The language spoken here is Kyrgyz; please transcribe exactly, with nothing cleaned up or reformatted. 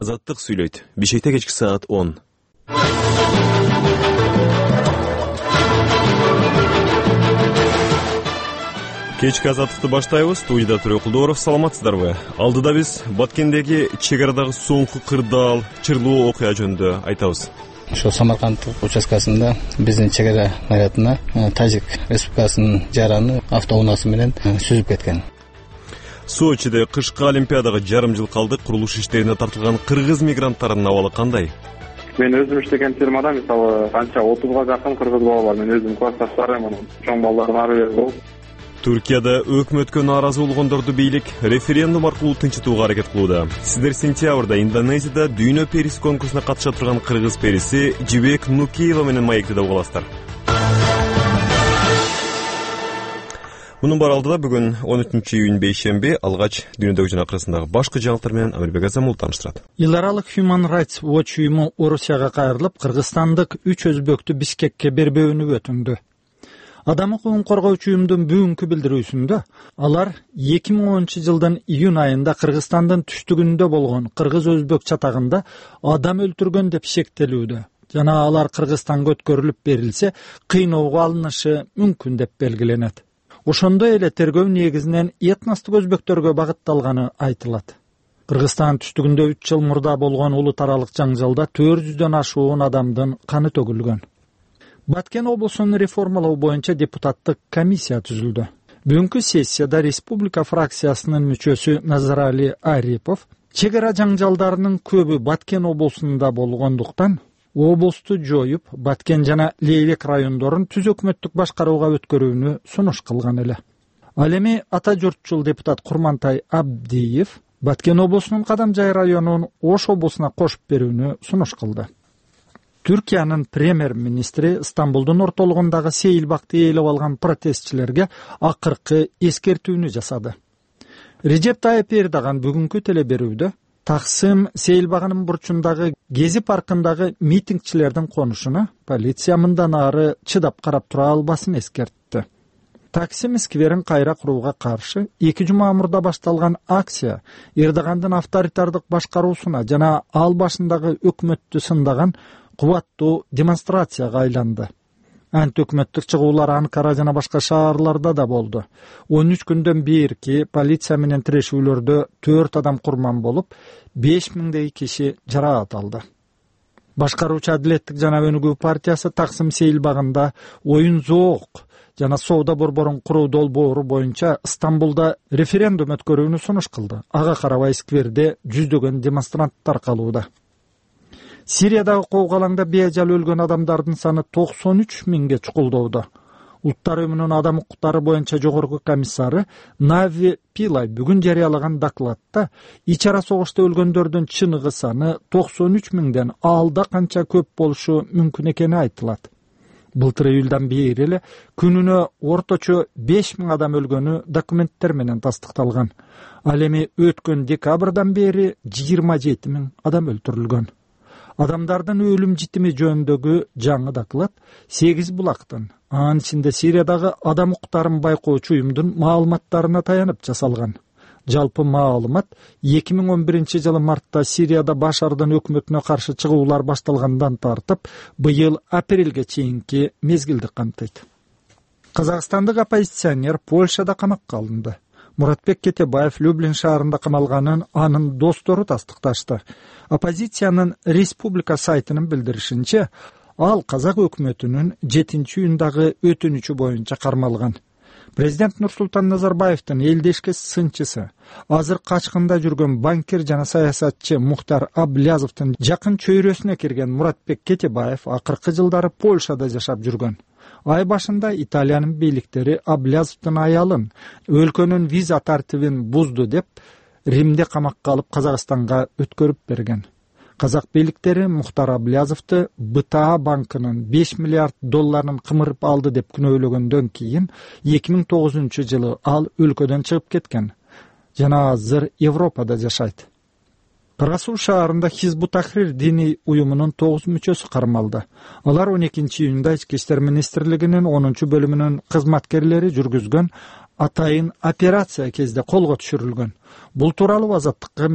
Азаттык сүйлөйт. Бишкекте кечки саат он. Кечки азаттыкты баштайбыз. Студияда Төрө Кулдоров. Саламатсыздарбы? Алдыда биз Баткендеги чек арадагы соңку кырдаал, чырлуу окуя жөнүндө айтабыз. Ошо Самаркандтык участкасында биздин чек ара маятына Тажик Республикасынын жараны автоунаасы менен сүзүп кеткен. Сочиде кышкы олимпиадага жарым жыл калды. Курулуш иштерине тартылган кыргыз мигранттарынын абалы кандай? Мен өзүм иштеген фирмада мисалы канча отузга жакын кыргыз бала бар. Мен өзүм классташтарым, чоң балдардын ары бери болуп. Түркияда өкмөткө нааразы болгондорду бийлик референдум аркылуу тынчытууга аракет кылууда. Сиздер сентябрда Индонезияда дүйнө периси конкурсуна катыша турган кыргыз периси Жибек Нукиева менен маектеде угаласыздар. Мунун баары алдыда бүгүн он үчүнчү июнь бейшемби алгач дүйнөдөгү жана акырысындагы башкы жаңылыктар менен Амирбек Азамул тааныштырат. Эл аралык Human Rights Watch уюму Орусияга кайрылып, кыргызстандык үч өзбөктү Бишкекке бербөөнү өтүндү. Адам укугун коргоочу уюмдун бүгүнкү билдирүүсүндө алар эки миң онунчу жылдын июнь айында Кыргызстандын түштүгүндө болгон кыргыз-өзбек чатагында адам өлтүргөн деп шектелүүдө жана алар Кыргызстанга өткөрүлүп берилсе, кыйноого алынышы мүмкүн деп белгиленет. Ошондой эле тергөө негизинен этностук өзбектөргө багытталганы айтылат. Кыргызстан түштүгүндө үч жыл мурда болгон улут аралык жаңжалда төрт жүздөн ашуун адамдын каны төгүлгөн. Баткен облусун реформалоо боюнча депутаттык комиссия түзүлдү. Бүгүнкү сессияда республика фракциясынын мүчөсү Назарали Арипов чек ара жаңжалдарынын көбү Баткен облусунда болгондуктан облусту жоюп, Баткен жана Лейвек райондорун түз өкмөттүк башкарууга өткөрүүнү сунуш кылган эле. Ал эми ата журтчул депутат Курмантай Абдиев Баткен облусунун Кадамжай районун Ош облусуна кошуп берүүнү сунуш кылды. Түркиянын премьер-министри Стамбулдун ортолугундагы Сейилбакты ээлеп алган протестчилерге акыркы эскертүүнү жасады. Режеп Тайып Эрдоган бүгүнкү телеберүүдө Таксым Сейилбагынын бурчундагы Гези паркындагы митингчилердин конушуна полиция мындан ары чыдап карап тура албасын эскертти. Таксим скверин кайра курууга каршы эки жума мурда башталган акция Эрдогандын авторитардык башкаруусуна жана ал башындагы өкмөттү сындаган кубаттуу демонстрацияга айланды. Анти-өкмөттүк чыгуулар Анкара жана башка шаарларда да болду. он үч күндөн берки полиция менен тирешүүлөрдө төрт адам курман болуп, беш миңдей киши жараат алды. Башкаруучу Адилеттик жана Өнүгүү партиясы Таксым Сейилбагында оюн-зоок жана соода борборун куруу долбоору боюнча Стамбулда референдум өткөрүүнү сунуш кылды. Ага карабай скверде жүздөгөн демонстранттар калууда. Сириядагы коогалаңда бейажал өлгөн адамдардын саны токсон үч миңге чукулдоодо. Улуттар уюмунун адам укуктары боюнча жогорку комиссары Нави Пилай бүгүн жарыялаган докладта ич ара согушта өлгөндөрдүн чыныгы саны токсон үч миңден алда канча көп болушу мүмкүн экени айтылат. Былтыр июлдан бери эле күнүнө орточо беш миң адам өлгөнү документтер менен тастыкталган. Ал эми өткөн декабрдан бери жыйырма жети миң адам өлтүрүлгөн. Адамдардын өлүм житими жөнүндөгү жаңы доклад сегиз булактын, анын ичинде Сириядагы адам укуктарын байкоочу уюмдун маалыматтарына таянып жасалган. Жалпы маалымат эки миң он биринчи жылы мартта Сирияда Башардын өкмөтүнө каршы чыгуулар башталгандан тартып, быйыл апрелге чейинки мезгилди камтыйт. Казакстандык оппозиционер Польшада камакка алынды. Муратбек Кетебаев Люблин шаарында камалганын анын достору тастыкташты. Оппозициянын республика сайтынын билдиришинче, ал казак өкмөтүнүн жетинчи июндагы өтүнүчү боюнча кармалган. Президент Нурсултан Назарбаевдин элдешке сынчысы, азыр качкында жүргөн банкир жана саясатчы Мухтар Аблязовдун жакын чөйрөсүнө кирген Муратбек Кетебаев акыркы жылдары Польшада жашап жүргөн. Ай башында Италиянын бийликтери Аблязовдун аялын өлкөнүн виза тартибин бузду деп Римде камакка алып Казакстанга өткөрүп берген. Казак бийликтери Мухтар Аблязовду БТА банкынын беш миллиард долларын кымырып алды деп күнөөлөгөндөн кийин эки миң тогузунчу жылы ал өлкөдөн чыгып кеткен жана азыр Европада жашайт. Кара Суу шаарында Хизбут Тахрир диний уюмунун тогуз мүчөсү кармалды. Алар он экинчи июнда Ички иштер министрлигинин онунчу бөлүмүнүн кызматкерлери жүргүзгөн атайын операция кезде колго түшүрүлгөн. Бул тууралуу Азаттыкка